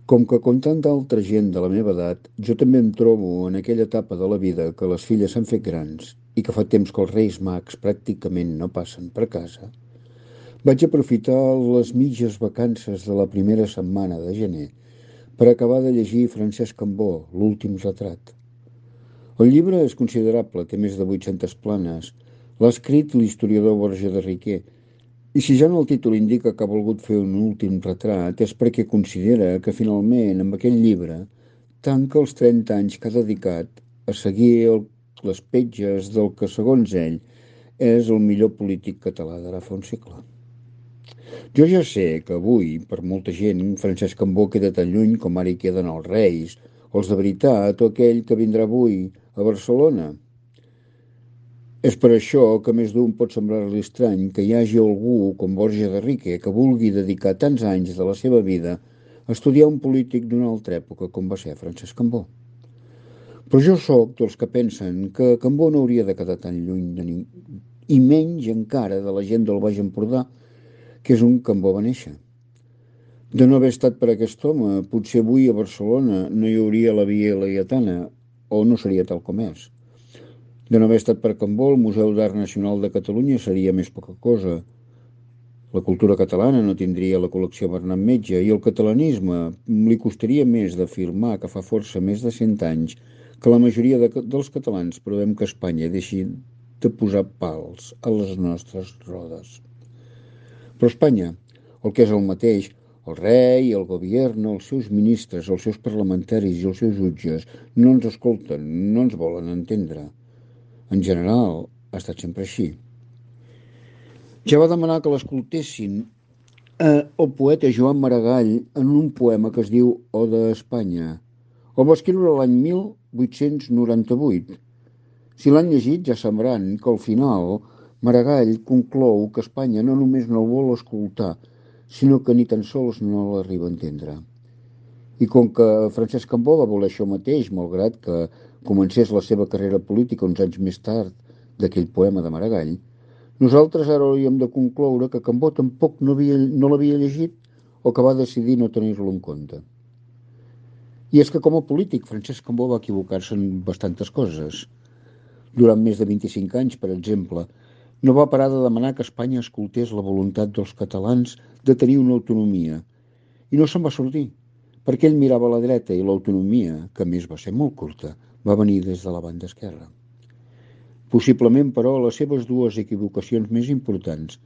Com que com tanta altra gent de la meva edat, jo també em trobo en aquella etapa de la vida que les filles s'han fet grans i que fa temps que els Reis Mags pràcticament no passen per casa, vaig aprofitar les mitges vacances de la primera setmana de gener per acabar de llegir Francesc Cambó, L'últim retrat. El llibre és considerable, té més de 800 planes. L'ha escrit l'historiador Borja de Riquer, i si ja en el títol indica que ha volgut fer un últim retrat és perquè considera que finalment amb aquell llibre tanca els 30 anys que ha dedicat a seguir les petges del que, segons ell, és el millor polític català d'ara fa un segle. Jo ja sé que avui, per molta gent, Francesc Cambó queda tan lluny com ara hi queden els Reis, o els de veritat, o aquell que vindrà avui a Barcelona. És per això que més d'un pot semblar-li estrany que hi hagi algú com Borja de Riquer que vulgui dedicar tants anys de la seva vida a estudiar un polític d'una altra època com va ser Francesc Cambó. Però jo sóc dels que pensen que Cambó no hauria de quedar tan lluny de ningú, i menys encara de la gent del Baix Empordà, que és on Cambó va néixer. De no haver estat per aquest home, potser avui a Barcelona no hi hauria la Via Laietana, o no seria tal com és. De no haver estat per Cambó, el Museu d'Art Nacional de Catalunya seria més poca cosa. La cultura catalana no tindria la col·lecció Bernat Metge i el catalanisme li costaria més d'afirmar que fa força més de 100 anys que la majoria dels catalans provem que Espanya deixi de posar pals a les nostres rodes. Però Espanya, el que és el mateix, el rei, el govern, els seus ministres, els seus parlamentaris i els seus jutges no ens escolten, no ens volen entendre. En general, ha estat sempre així. Ja va demanar que l'escoltessin el poeta Joan Maragall en un poema que es diu Oda a Espanya. El va escriure l'any 1898. Si l'han llegit ja sabran que al final Maragall conclou que Espanya no només no el vol escoltar, sinó que ni tan sols no l'arriba a entendre. I com que Francesc Cambó va voler això mateix, malgrat que comencés la seva carrera política uns anys més tard d'aquell poema de Maragall, nosaltres ara hauríem de concloure que Cambó tampoc no l'havia llegit o que va decidir no tenir-lo en compte. I és que com a polític Francesc Cambó va equivocar-se en bastantes coses. Durant més de 25 anys, per exemple, no va parar de demanar que Espanya escoltés la voluntat dels catalans de tenir una autonomia. I no se'n va sortir, perquè ell mirava a la dreta i l'autonomia, que a més va ser molt curta, va venir des de la banda esquerra. Possiblement, però, les seves dues equivocacions més importants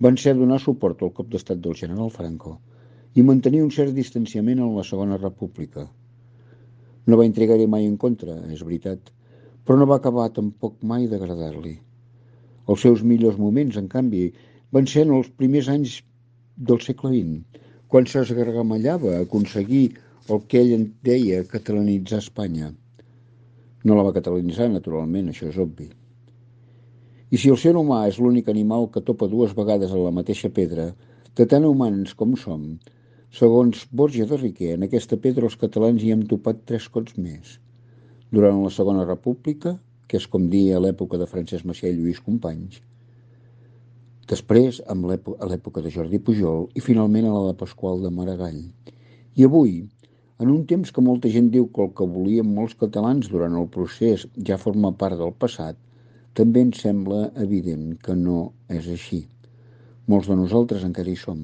van ser donar suport al cop d'estat del general Franco i mantenir un cert distanciament en la Segona República. No va intrigar-hi mai en contra, és veritat, però no va acabar tampoc mai d'agradar-li. Els seus millors moments, en canvi, van ser en els primers anys del segle XX, quan s'esgargamellava a aconseguir el que ell en deia catalanitzar Espanya. No la va catalanitzar, naturalment, això és obvi. I si el ser humà és l'únic animal que topa dues vegades a la mateixa pedra, de tan humans com som, segons Borja de Riquer, en aquesta pedra els catalans hi hem topat 3 cops més. Durant la Segona República, que és com dir a l'època de Francesc Macià i Lluís Companys, després a l'època de Jordi Pujol i finalment a la de Pasqual de Maragall. I avui, en un temps que molta gent diu que el que volien molts catalans durant el procés ja forma part del passat, també ens sembla evident que no és així. Molts de nosaltres encara hi som,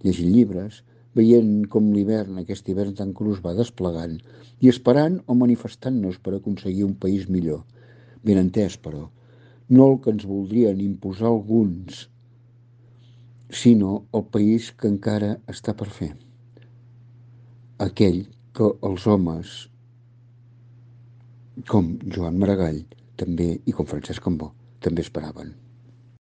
llegint llibres, veient com l'hivern, aquest hivern tan crus, va desplegant i esperant o manifestant-nos per aconseguir un país millor. Ben entès, però, no el que ens voldrien imposar alguns, sinó el país que encara està per fer. Aquell que els homes com Joan Maragall també i com Francesc Cambó també esperaven.